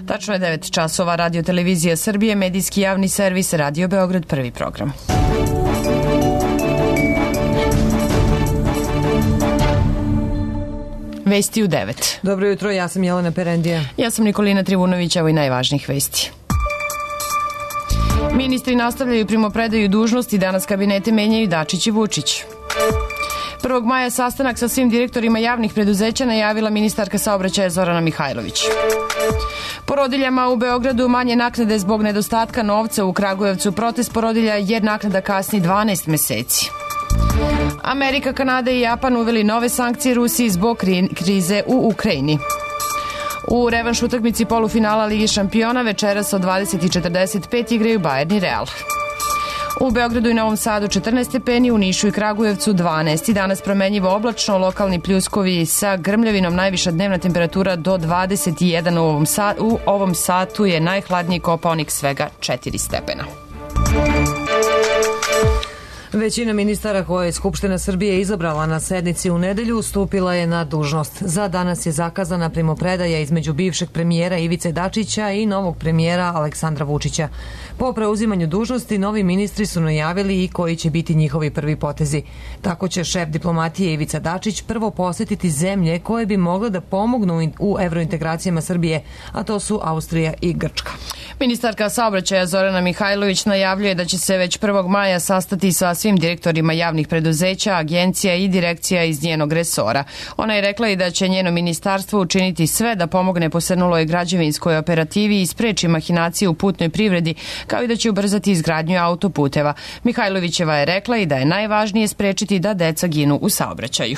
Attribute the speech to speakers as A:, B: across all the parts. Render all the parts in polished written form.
A: Tačno je 9 časova. Radio Televizija Srbije, medijski javni servis, Radio Beograd, prvi program. Vesti u 9.
B: Dobro jutro, ja sam Jelena Perendija.
A: Ja sam Nikolina Trivunović, evo i najvažnijih vesti. Ministri nastavljaju primopredaju dužnosti, danas kabinete menjaju Dačić i Vučić. 1. maja sastanak sa svim direktorima javnih preduzeća najavila ministarka saobraćaja Zorana Mihajlović. Porodiljama u Beogradu manje naknade zbog nedostatka novca. U Kragujevcu protest porodilja jer naknada kasni 12 meseci. Amerika, Kanada i Japan uveli nove sankcije Rusiji zbog krize u Ukrajini. U revanš utakmici polufinala Ligi šampiona večeras od 20:45 igraju Bayern i Real. U Beogradu i Novom Sadu 14 stepeni, u Nišu i Kragujevcu 12. Danas promenjivo oblačno, lokalni pljuskovi sa grmljavinom, najviša dnevna temperatura do 21. U ovom satu je najhladniji Kopaonik, svega 4 stepena.
B: Većina ministara koje je Skupština Srbije izabrala na sednici u nedelju stupila je na dužnost. Za danas je zakazana primopredaja između bivšeg premijera Ivice Dačića i novog premijera Aleksandra Vučića. Po preuzimanju dužnosti novi ministri su najavili i koji će biti njihovi prvi potezi. Tako će šef diplomatije Ivica Dačić prvo posetiti zemlje koje bi mogle da pomognu u evrointegracijama Srbije, a to su Austrija i Grčka.
A: Ministarka saobraćaja Zorana Mihajlović najavljuje da će se već 1. maja sastati sa svim direktorima javnih preduzeća, agencija i direkcija iz njenog resora. Ona je rekla i da će njeno ministarstvo učiniti sve da pomogne posrnuloj građevinskoj operativi i spreči mahinacije u putnoj privredi, kao i da će ubrzati izgradnju autoputeva. Mihajlovićeva je rekla i da je najvažnije sprečiti da deca ginu u saobraćaju.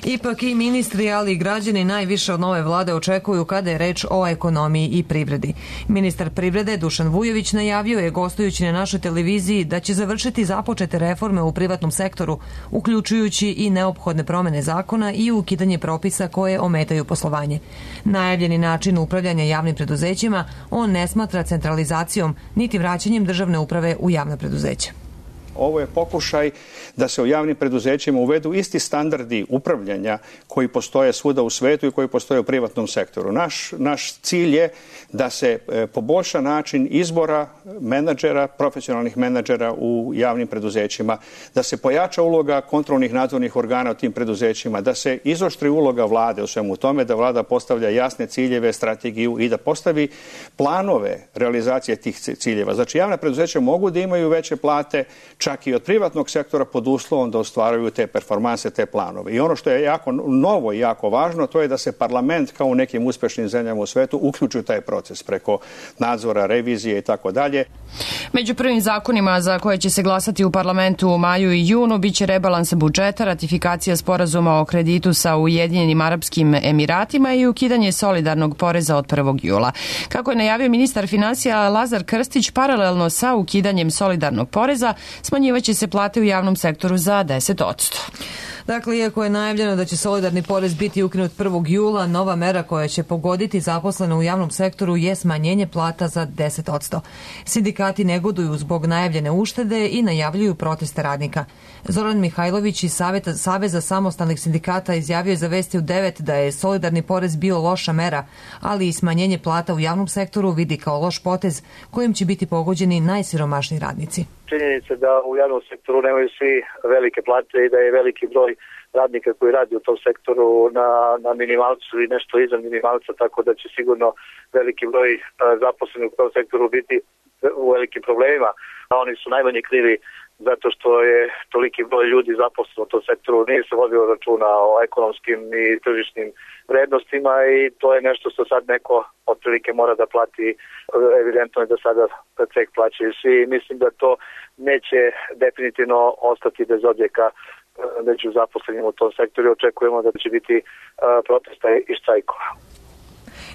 B: Ipak i ministri, ali i građani najviše od nove vlade očekuju kada je reč o ekonomiji i privredi. Ministar privrede Dušan Vujović najavio je gostujući na našoj televiziji da će završiti započete reforme u privatnom sektoru, uključujući i neophodne promene zakona i ukidanje propisa koje ometaju poslovanje. Najavljeni način upravljanja javnim preduzećima on ne smatra centralizacijom niti vraćanjem državne uprave u javna preduzeća.
C: Ovo je pokušaj da se u javnim preduzećima uvedu isti standardi upravljanja koji postoje svuda u svetu i koji postoje u privatnom sektoru. Naš cilj je da se poboljša način izbora menadžera, profesionalnih menadžera u javnim preduzećima, da se pojača uloga kontrolnih nadzornih organa u tim preduzećima, da se izoštri uloga vlade u svemu tome, da vlada postavlja jasne ciljeve, strategiju i da postavi planove realizacije tih ciljeva. Znači, javna preduzeća mogu da imaju veće plate, čak i od privatnog sektora, pod uslovom da ostvaruju te performanse, te planove. I ono što je jako novo i jako važno, to je da se parlament, kao u nekim uspešnim zemljama u svetu, uključi u taj proces preko nadzora, revizije i tako dalje.
A: Među prvim zakonima za koje će se glasati u parlamentu u maju i junu biće rebalans budžeta, ratifikacija sporazuma o kreditu sa Ujedinjenim Arapskim Emiratima i ukidanje solidarnog poreza od 1. jula. Kako je najavio ministar finansija Lazar Krstić, paralelno sa ukidanjem solidarnog poreza smanjivaće se plate u javnom sektoru za 10%.
B: Dakle, iako je najavljeno da će solidarni porez biti ukinut 1. jula, nova mera koja će pogoditi zaposlene u javnom sektoru je smanjenje plata za 10%. Sindikati negoduju zbog najavljene uštede i najavljuju proteste radnika. Zoran Mihajlović iz Saveza samostalnih sindikata izjavio je za Vesti u 9 da je solidarni porez bio loša mera, ali i smanjenje plata u javnom sektoru vidi kao loš potez kojim će biti pogođeni najsiromašniji radnici.
D: Činjenica da u javnom sektoru nemaju svi velike plate i da je veliki broj radnika koji radi u tom sektoru na minimalcu i nešto iza minimalca, tako da će sigurno veliki broj zaposlenih u tom sektoru biti u velikim problemima. Oni su najmanje krivi zato što je toliki broj ljudi zaposleno u tom sektoru, nije se vodio računa o ekonomskim i tržišnim vrednostima i to je nešto što sad neko otprilike mora da plati. Evidentno je da sada ceh plaćaju svi. Mislim da to neće definitivno ostati bez odjeka među zaposlenima u tom sektoru. Očekujemo da će biti protesta i štrajkova.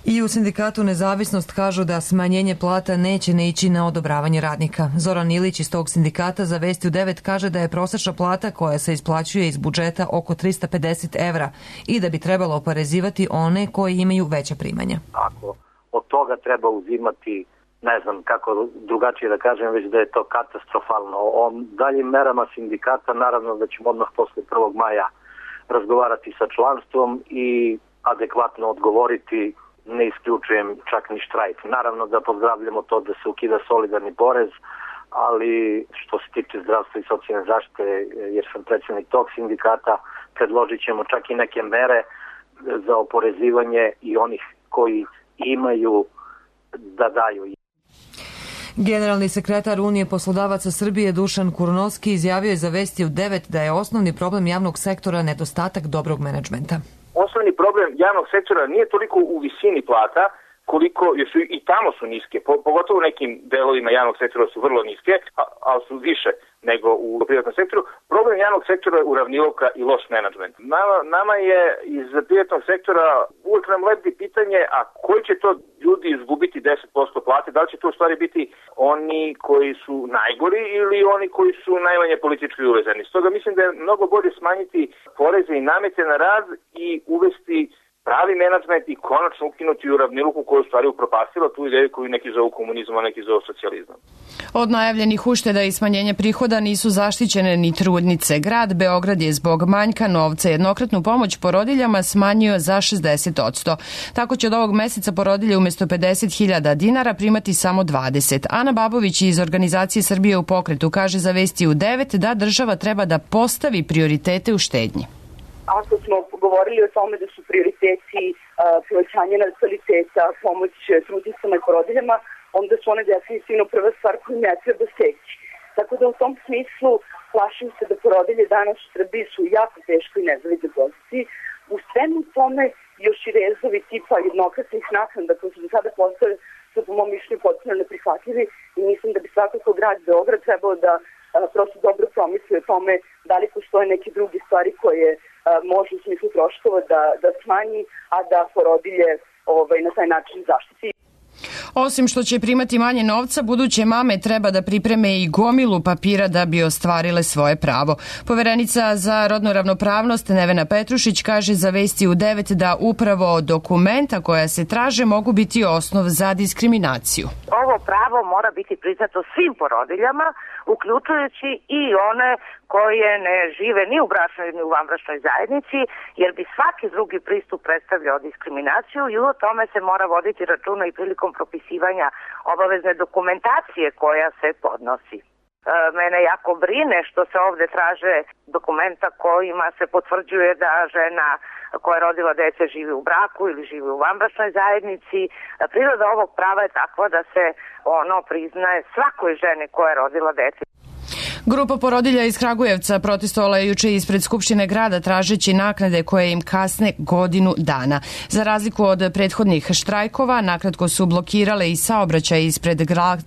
B: I u sindikatu Nezavisnost kažu da smanjenje plata neće ne ići na odobravanje radnika. Zoran Ilić iz tog sindikata za Vesti u 9 kaže da je prosečna plata koja se isplaćuje iz budžeta oko 350 evra i da bi trebalo oporezivati one koji imaju veća primanja.
D: Ako od toga treba uzimati, ne znam kako drugačije da kažem, već da je to katastrofalno. O daljim merama sindikata naravno da ćemo odmah posle 1. maja razgovarati sa članstvom i adekvatno odgovoriti ne isključujem čak ni štrajk. Naravno da pozdravljamo to da se ukida solidarni porez, ali što se tiče zdravstva i socijalne zaštite, jer sam predsjednik tog sindikata, predložit ćemo čak i neke mere za oporezivanje i onih koji imaju da daju.
B: Generalni sekretar Unije poslodavaca Srbije Dušan Kurnovski izjavio je za Vesti u 9 da je osnovni problem javnog sektora nedostatak dobrog menadžmenta.
E: Osnovni problem javnog sektora nije toliko u visini plata, koliko su i tamo su niske, pogotovo u nekim delovima javnog sektora su vrlo niske, ali su više nego u privatnom sektoru. Problem javnog sektora je uravnilovka i loš menadžment. Nama je iz privatnog sektora uvijek nam lebdi pitanje, a koji će to ljudi izgubiti 10% plate, da li će to u stvari biti oni koji su najgori ili oni koji su najmanje politički uvezani. Stoga mislim da je mnogo bolje smanjiti poreze i namete na rad i uvesti pravi menadžment i konačno ukinuti uravnilovku koju stvari upropastila tu ideju koju neki zovu komunizam, a neki zovu socijalizam.
A: Od najavljenih ušteda i smanjenja prihoda nisu zaštićene ni trudnice. Grad Beograd je zbog manjka novca jednokratnu pomoć porodiljama smanjio za 60%. Tako će od ovog meseca porodilje umjesto 50.000 dinara primati samo 20. Ana Babović iz organizacije Srbije u pokretu kaže za Vesti u 9 da država treba da postavi prioritete u štednji.
F: Ako smo govorili o tome da su prioriteti povećanje nataliteta, pomoć trudnicama i porodiljama, onda su one definitivno prva stvar koju ne treba steći. Tako da u tom smislu plašim se da porodilje danas u Srbiji su u jako teškoj i nezavidnoj poziciji. U svemu tome još i rezovi tipa jednokratnih naknada koji su do sada postali su po mom mišljenju potpuno neprihvatljivi i mislim da bi svakako grad Beograd trebao da prosto dobro promisli o tome da li postoje neke druge stvari koje može u smislu troškova da smanji, a da porodilje na taj način zaštiti.
A: Osim što će primati manje novca, buduće mame treba da pripreme i gomilu papira da bi ostvarile svoje pravo. Poverenica za rodnu ravnopravnost Nevena Petrušić kaže za Vesti u 9 da upravo dokumenta koja se traže mogu biti osnov za diskriminaciju.
G: Ovo pravo mora biti priznato svim porodiljama, uključujući i one koje ne žive ni u bračnoj ni u vanbračnoj zajednici, jer bi svaki drugi pristup predstavljao diskriminaciju i o tome se mora voditi računa i prilikom propisivanja obavezne dokumentacije koja se podnosi. Mene jako brine što se ovde traže dokumenta kojima se potvrđuje da žena koja je rodila dece živi u braku ili živi u vanbračnoj zajednici. Priroda ovog prava je takva da se ono priznaje svakoj ženi koja je rodila dece.
A: Grupa porodilja iz Kragujevca protestovala je juče ispred Skupštine grada tražeći naknade koje im kasne godinu dana. Za razliku od prethodnih štrajkova, nakratko su blokirale i saobraćaj ispred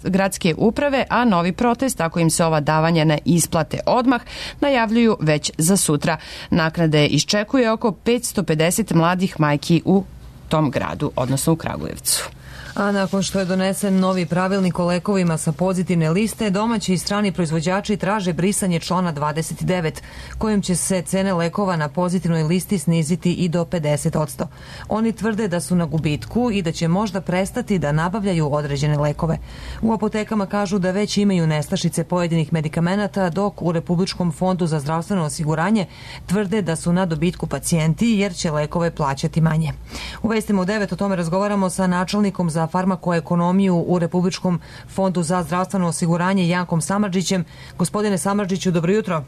A: gradske uprave, a novi protest, ako im se ova davanja ne isplate odmah, najavljuju već za sutra. Naknade iščekuje oko 550 mladih majki u tom gradu, odnosno u Kragujevcu.
B: A nakon što je donesen novi pravilnik o lekovima sa pozitivne liste, domaći i strani proizvođači traže brisanje člana 29, kojim će se cene lekova na pozitivnoj listi sniziti i do 50%. Oni tvrde da su na gubitku i da će možda prestati da nabavljaju određene lekove. U apotekama kažu da već imaju nestašice pojedinih medikamenata, dok u Republičkom fondu za zdravstveno osiguranje tvrde da su na dobitku pacijenti jer će lekove plaćati manje. U Vestima u 9 o tome razgovaramo sa načelnikom za farmakoekonomiju u Republičkom fondu za zdravstveno osiguranje Jankom Samardžićem. Gospodine Samardžiću, dobro jutro.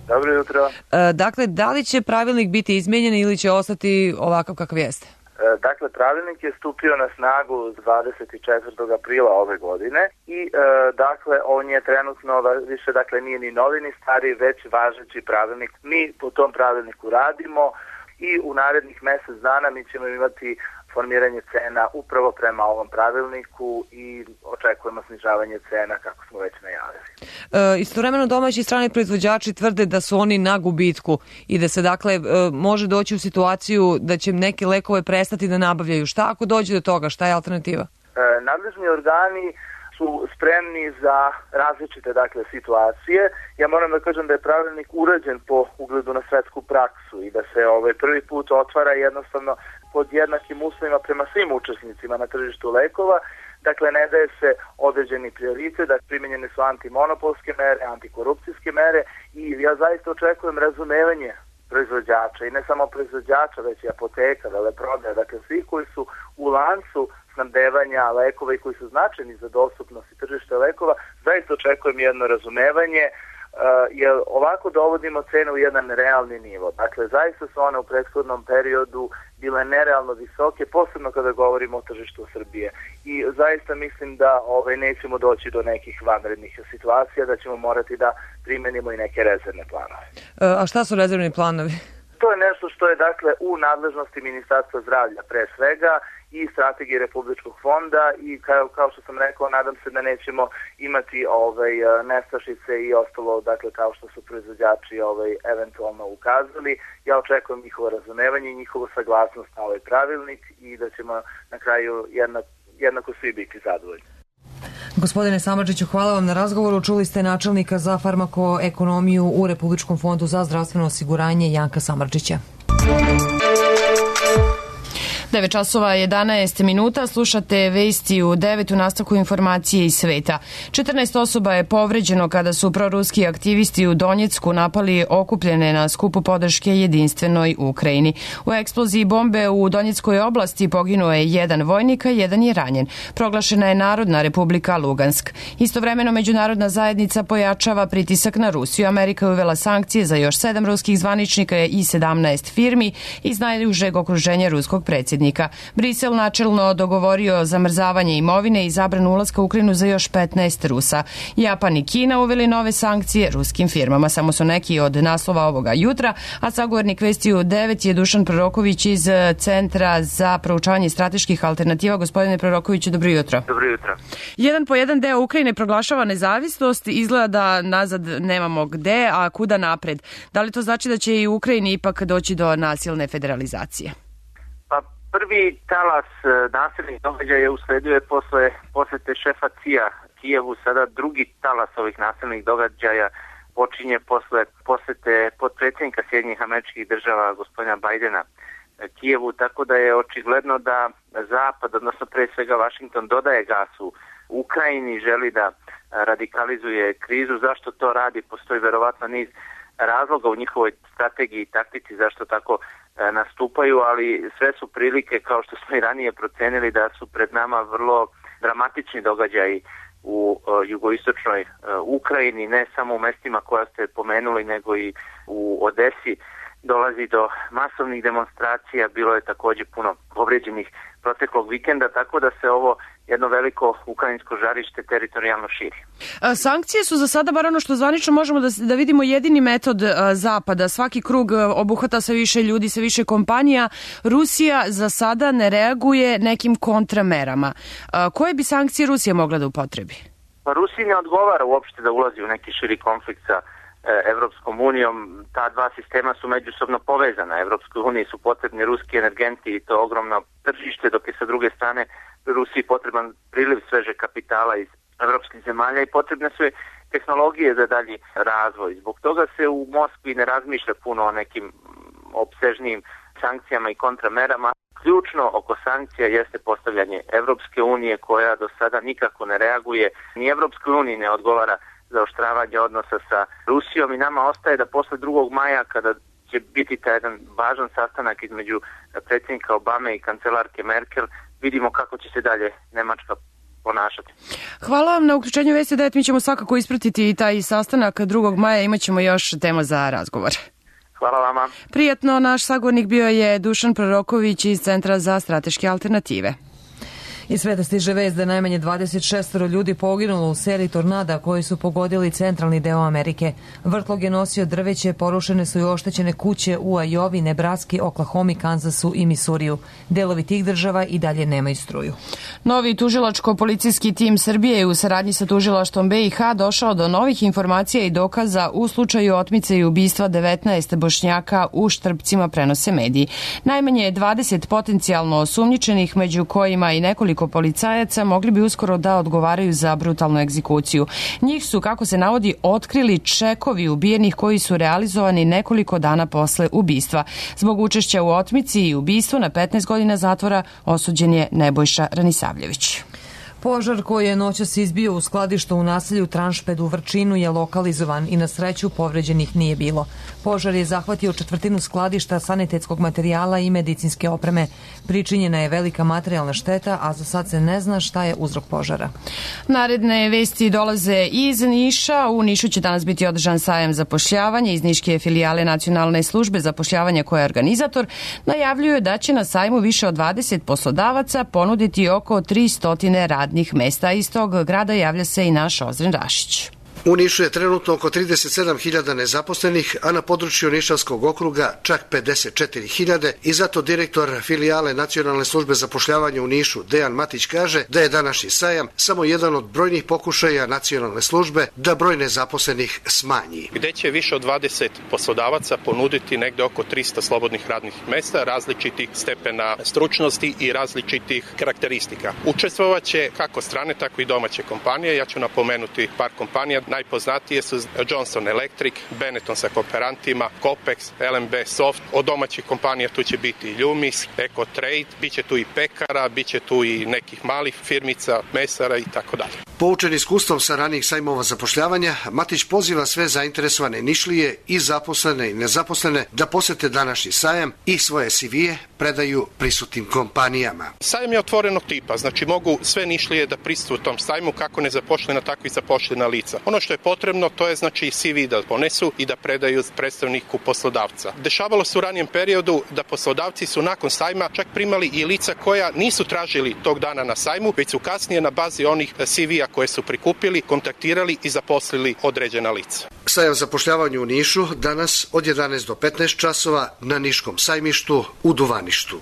D: Dobro jutro.
B: Dakle, da li će pravilnik biti izmijenjen ili će ostati ovakav kakav jeste?
D: Dakle, pravilnik je stupio na snagu 24. aprila ove godine i dakle, on je trenutno više, dakle, nije ni novi ni stari, već važeći pravilnik. Mi po tom pravilniku radimo i u narednih mjesec dana mi ćemo imati formiranje cena upravo prema ovom pravilniku i očekujemo snižavanje cena kako smo već najavili.
B: Istovremeno domaći i strani proizvođači tvrde da su oni na gubitku i da se dakle može doći u situaciju da će neke lekove prestati da nabavljaju. Šta ako dođe do toga? Šta je alternativa?
D: Nadležni organi su spremni za različite dakle situacije. Ja moram da kažem da je pravilnik urađen po ugledu na svetsku praksu i da se prvi put otvara jednostavno pod jednakim uslovima prema svim učesnicima na tržištu lekova. Dakle, ne daje se određeni prioritet, da primenjene su antimonopolske mere, antikorupcijske mere i ja zaista očekujem razumevanje
H: proizvođača i ne samo proizvođača, već i apoteka, veleprodaja, dakle svi koji su u lancu snabdevanja lekova i koji su značajni za dostupnost i tržište lekova, zaista očekujem jedno razumevanje, jer ovako dovodimo cene u jedan realni nivo. Dakle, zaista su one u prethodnom periodu bile nerealno visoke, posebno kada govorimo o tržištu Srbije. I zaista mislim da nećemo doći do nekih vanrednih situacija, da ćemo morati da primenimo i neke rezervne planove.
B: A šta su rezervni planovi?
H: To je nešto što je dakle u nadležnosti Ministarstva zdravlja pre svega i strategije Republičkog fonda i kao što sam rekao, nadam se da nećemo imati nestašice i ostalo, dakle kao što su proizvođači eventualno ukazali. Ja očekujem njihovo razumevanje i njihovu saglasnost na ovaj pravilnik i da ćemo na kraju jednako svi biti zadovoljni.
B: Gospodine Samardžiću, hvala vam na razgovoru. Čuli ste načelnika za farmakoekonomiju u Republičkom fondu za zdravstveno osiguranje Janka Samardžića.
A: 9 časova 11 minuta, slušate vesti u 9 u nastavku informacije iz sveta. 14 osoba je povređeno kada su proruski aktivisti u Donjecku napali okupljene na skupu podrške jedinstvenoj Ukrajini. U eksploziji bombe u Donjeckoj oblasti poginuo je jedan vojnik, a jedan je ranjen. Proglašena je Narodna republika Lugansk. Istovremeno međunarodna zajednica pojačava pritisak na Rusiju. Amerika je uvela sankcije za još 7 ruskih zvaničnika i 17 firmi iz najužeg okruženja ruskog predsjednika. Brisel načelno dogovorio zamrzavanje imovine i zabranu ulaska u Ukrajinu za još 15 Rusa. Japan i Kina uveli nove sankcije ruskim firmama. Samo su neki od naslova ovoga jutra, a sagovornik vesti u 9 je Dušan Proroković iz Centra za proučavanje strateških alternativa. Gospodine Prorokoviću, dobro jutro.
E: Dobro jutro.
A: Jedan po jedan deo Ukrajine proglašava nezavisnost, izgleda da nazad nemamo gde, a kuda napred. Da li to znači da će i u Ukrajini ipak doći do nasilne federalizacije?
E: Prvi talas nasilnih događaja usledio je posle posete šefa CIA Kijevu. Sada drugi talas ovih nasilnih događaja počinje posle posete potpredsjednika Sjedinjenih Američkih Država gospodina Bajdena Kijevu, tako da je očigledno da Zapad, odnosno pre svega Vašington, dodaje gasu Ukrajini, želi da radikalizuje krizu. Zašto to radi? Postoji verovatno niz razloga u njihovoj strategiji i taktici zašto tako nastupaju, ali sve su prilike, kao što smo i ranije procenili, da su pred nama vrlo dramatični događaji u jugoistočnoj Ukrajini, ne samo u mestima koja ste pomenuli, nego i u Odesi. Dolazi do masovnih demonstracija, bilo je također puno povređenih proteklog vikenda, tako da se ovo jedno veliko ukrajinsko žarište teritorijalno širi.
A: Sankcije su za sada, bar ono što zvanično možemo da vidimo, jedini metod Zapada. Svaki krug obuhvata sve više ljudi, sve više kompanija. Rusija za sada ne reaguje nekim kontramerama. Koje bi sankcije Rusija mogla da upotrebi?
E: Pa Rusiji ne odgovara uopšte da ulazi u neki širi konflikt sa Evropskom unijom. Ta dva sistema su međusobno povezana. Evropskoj uniji su potrebni ruski energenti i to ogromno tržište, dok je sa druge strane Rusiji potreban priliv sveže kapitala iz evropskih zemalja i potrebne su tehnologije za dalji razvoj. Zbog toga se u Moskvi ne razmišlja puno o nekim opsežnijim sankcijama i kontramerama. Ključno oko sankcija jeste postavljanje Evropske unije, koja do sada nikako ne reaguje. Ni Evropskoj uniji ne odgovara zaoštravanje odnosa sa Rusijom i nama ostaje da posle 2. maja, kada će biti taj jedan važan sastanak između predsjednika Obame i kancelarke Merkel, vidimo kako će se dalje Nemačka ponašati.
A: Hvala vam na uključenju Vesti 9. Mi ćemo svakako ispratiti i taj sastanak 2. maja. Imaćemo još tema za razgovor.
E: Hvala vama.
A: Prijatno, naš sagovornik bio je Dušan Proroković iz Centra za strateške alternative.
B: Iz sveta stiže vest da najmanje 26 ljudi poginulo u seriji tornada koji su pogodili centralni deo Amerike. Vrtlog je nosio drveće, porušene su i oštećene kuće u Ajovi, Nebraski, Oklahomi, Kansasu i Misuriju. Delovi tih država i dalje nemaju struju.
A: Novi tužilačko-policijski tim Srbije je u saradnji sa tužilaštvom BiH došao do novih informacija i dokaza u slučaju otmice i ubistva 19 Bošnjaka u Štrpcima, prenose mediji. Najmanje je 20 potencijalno osumnjičenih, među kojima i nekoliko policajaca, mogli bi uskoro da odgovaraju za brutalnu egzekuciju. Njih su, kako se navodi, otkrili čekovi ubijenih koji su realizovani nekoliko dana posle ubistva. Zbog učešća u otmici i ubistvu na 15 godina zatvora osuđen je Nebojša Ranisavljević.
B: Požar koji je noćas izbio u skladištu u naselju Tranšped u Vrčinu je lokalizovan i na sreću povređenih nije bilo. Požar je zahvatio četvrtinu skladišta sanitetskog materijala i medicinske opreme. Pričinjena je velika materijalna šteta, a za sad se ne zna šta je uzrok požara.
A: Naredne vesti dolaze iz Niša. U Nišu će danas biti održan sajam zapošljavanja. Iz niške filijale Nacionalne službe zapošljavanja koja je organizator najavljuju da će na sajmu više od 20 poslodavaca ponuditi oko 300 radnih mesta. Iz tog grada javlja se i naš Ozren Rašić.
I: U Nišu je trenutno oko 37.000 nezaposlenih, a na području Nišavskog okruga čak 54.000 i zato direktor filijale Nacionalne službe zapošljavanja u Nišu, Dejan Matić, kaže da je današnji sajam samo jedan od brojnih pokušaja Nacionalne službe da broj nezaposlenih smanji.
J: Gde će više od 20 poslodavaca ponuditi negde oko 300 slobodnih radnih mesta, različitih stepena stručnosti i različitih karakteristika. Učestvovaće kako strane, tako i domaće kompanije. Ja ću napomenuti par kompanija. Najpoznatije su Johnson Electric, Benetton sa kooperantima, Copex, LMB Soft. Od domaćih kompanija tu će biti Ljumis, EcoTrade, bit će tu i pekara, bit će tu i nekih malih firmica, mesara i tako dalje.
I: Poučen iskustvom sa ranijih sajmova zapošljavanja, Matić poziva sve zainteresovane Nišlije i zaposlene i nezaposlene da posete današnji sajam i svoje CV-e predaju prisutnim kompanijama.
J: Sajam je otvorenog tipa, znači mogu sve Nišlije da prisustvuju tom sajmu, kako nezaposlena, tako i zaposlena lica. Ono što je potrebno, to je znači CV da ponesu i da predaju predstavniku poslodavca. Dešavalo se u ranijem periodu da poslodavci su nakon sajma čak primali i lica koja nisu tražili tog dana na sajmu, već su kasnije na bazi onih CV-a koje su prikupili, kontaktirali i zaposlili određena lica.
I: Sajam zapošljavanja u Nišu danas od 11 do 15 časova na Niškom sajmištu u Duvaništu.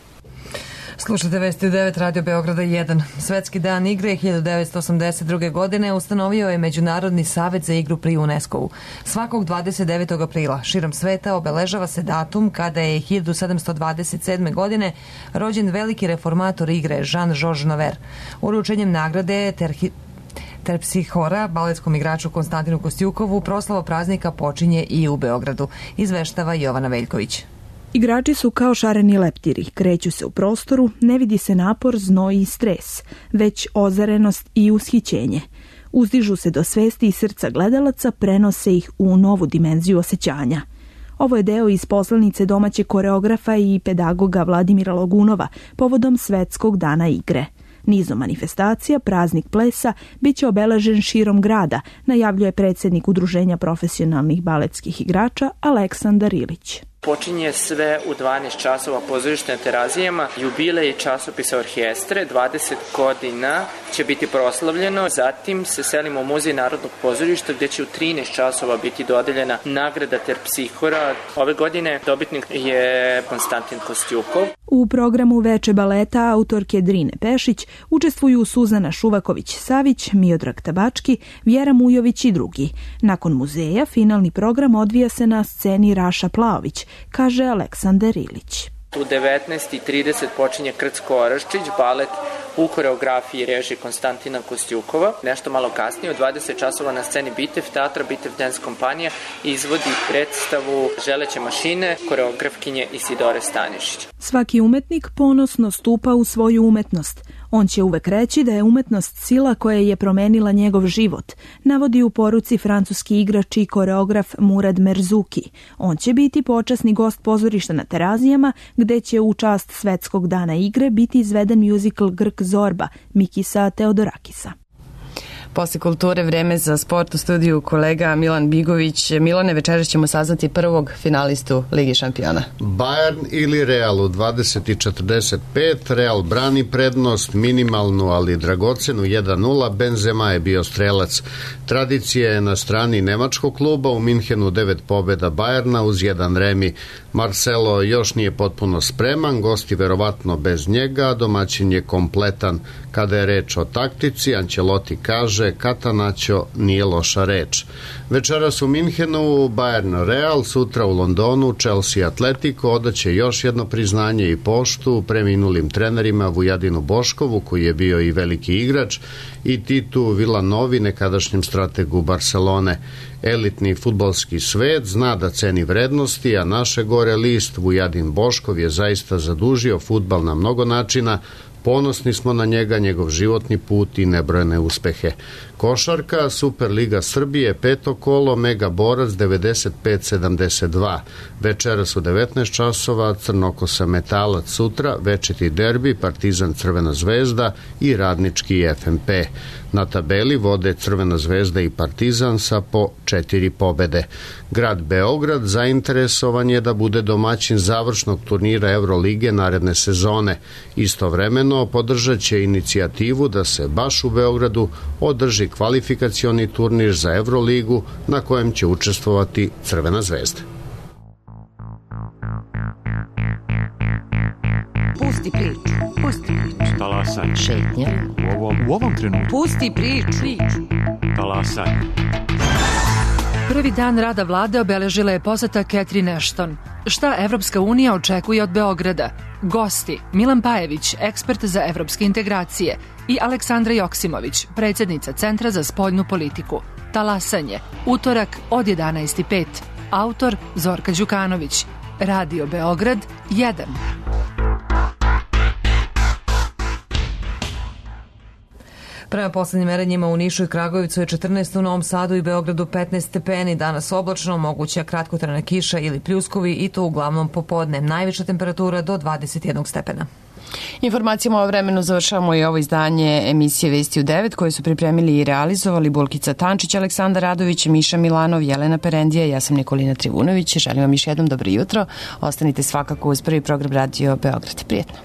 B: Slušate vesti u 9 Radio Beograda 1. Svetski dan igre 1982. godine ustanovio je Međunarodni savet za igru pri UNESCO-u. Svakog 29. aprila širom sveta obeležava se datum kada je 1727. godine rođen veliki reformator igre Jean-Georges Naver. Uručenjem nagrade Terpsihora, baletskom igraču Konstantinu Kostjukovu, proslava praznika počinje i u Beogradu, izveštava Jovana Veljković.
K: Igrači su kao šareni leptiri, kreću se u prostoru, ne vidi se napor, znoj i stres, već ozarenost i ushićenje. Uzdižu se do svesti i srca gledalaca, prenose ih u novu dimenziju osjećanja. Ovo je deo iz poslanice domaće koreografa i pedagoga Vladimira Logunova povodom Svetskog dana igre. Nizom manifestacija, praznik plesa biće obeležen širom grada, najavljuje predsjednik Udruženja profesionalnih baletskih igrača Aleksandar Ilić.
L: Počinje sve u 12 časova pozorište na Terazijama, jubilej časopisa Orhestre, 20 godina će biti proslavljeno, zatim se selimo u Muzej Narodnog pozorišta gdje će u 13 časova biti dodeljena nagrada Terpsihora. Ove godine dobitnik je Konstantin Kostjukov.
K: U programu Veče baleta autorke Drine Pešić učestvuju Suzana Šuvaković-Savić, Miodrag Tabački, Vjera Mujović i drugi. Nakon muzeja finalni program odvija se na sceni Raša Plaović, kaže Aleksandar Ilić.
L: U 19:30 počinje Krcko-Oraščić, balet u koreografiji režije Konstantina Kostjukova. Nešto malo kasnije, u 20 časova na sceni Bitev teatra, Bitev dance kompanija izvodi predstavu Želeće mašine, koreografkinje Isidore Stanišić.
K: Svaki umetnik ponosno stupa u svoju umetnost. On će uvek reći da je umetnost sila koja je promenila njegov život, navodi u poruci francuski igrač i koreograf Murad Merzuki. On će biti počasni gost pozorišta na Terazijama, gde će u čast Svetskog dana igre biti izveden muzikal Grk Zorba Mikisa Teodorakisa.
A: Posle kulture vreme za sport u studiju kolega Milan Bigović. Milane, večeras ćemo saznati prvog finalistu Ligi šampiona.
M: Bayern ili Real u 20:45. Real brani prednost, minimalnu ali dragocenu 1:0. Benzema je bio strelac. Tradicija je na strani nemačkog kluba, u Minhenu 9 pobjeda Bayerna uz 1 remi. Marcelo još nije potpuno spreman, gosti verovatno bez njega, domaćin je kompletan. Kada je reč o taktici, Ancelotti kaže Catanaccio nije loša reč. Večeras u Minhenu Bayern Real, sutra u Londonu Chelsea Atletico, odaće još jedno priznanje i poštu preminulim trenerima Vujadinu Boškovu, koji je bio i veliki igrač, i Titu Villanovi, nekadašnjem strategu Barcelone. Elitni fudbalski svet zna da ceni vrednosti, a naše gore list Vujadin Boškov je zaista zadužio fudbal na mnogo načina, Ponosni smo na njega, njegov životni put i nebrojene uspehe. Košarka, Superliga Srbije, 5. kolo, Mega Borac 95-72. Večeras u 19 časova, Crnokosa Metalac sutra, večiti derbi, Partizan Crvena zvezda i Radnički FNP. Na tabeli vode Crvena zvezda i Partizan sa po 4 pobede. Grad Beograd zainteresovan je da bude domaćin završnog turnira Evrolige naredne sezone. Istovremeno podržat će inicijativu da se baš u Beogradu održi kvalifikacioni turnir za Evroligu na kojem će učestvovati Crvena zvezda.
N: Pusti priču. Pusti priču.
O: Talasaj.
N: Šetnja.
O: U ovom trenutku.
N: Pusti priču.
O: Talasaj.
P: Prvi dan rada vlade obeležila je poseta Catherine Ashton. Šta Evropska unija očekuje od Beograda? Gosti: Milan Pajević, ekspert za evropske integracije, i Aleksandra Joksimović, predsjednica Centra za spoljnu politiku. Talasanje, utorak od 11:05. Autor Zorka Đukanović. Radio Beograd 1.
B: Prema poslednjim merenjima u Nišu i Kragujevcu je 14, u Novom Sadu i Beogradu 15 stepeni, danas oblačno, moguća kratkotrajna kiša ili pljuskovi i to uglavnom popodne. Najviša temperatura do 21 stepena.
A: Informacijama o vremenu završavamo i ovo izdanje emisije Vesti u 9 koje su pripremili i realizovali Bulkica Tančić, Aleksandar Radović, Miša Milanov, Jelena Perendija, ja sam Nikolina Trivunović. Želim vam još jednom dobro jutro. Ostanite svakako uz prvi program Radio Beograd. Prijetno.